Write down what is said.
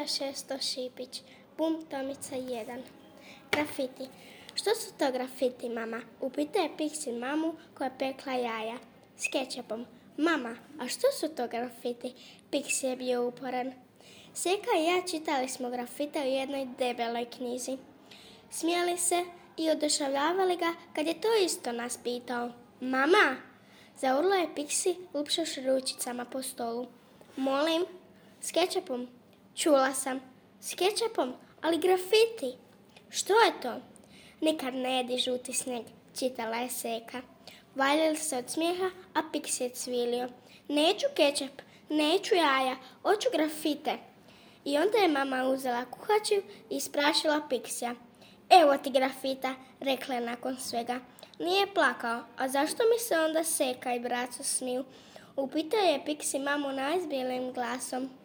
Andrija Šesto Šipić, Bum Tomica 1. Grafiti. Što su to grafiti, mama? Upita je Pixie mamu koja je pekla jaja s kečapom. Mama, a što su to grafiti? Pixie je bio uporan. Seka i ja čitali smo grafite u jednoj debeloj knjizi. Smijali se i oduševljavali ga kad je to isto nas pitao. Mama, zaurla je Pixie lupšavši ručicama po stolu. Molim, s kečapom. Čula sam, s kečapom, ali grafiti. Što je to? Nikad ne jedi žuti snijeg, čitala je Seka. Valjali se od smijeha, a Pixie je cvilio. Neću kečap, neću jaja, hoću grafite. I onda je mama uzela kuhaču i isprašila Pixija. Evo ti grafita, rekla je nakon svega. Nije plakao, a zašto mi se onda Seka i braco smiju? Upitao je Pixie mamu najzbijelim glasom.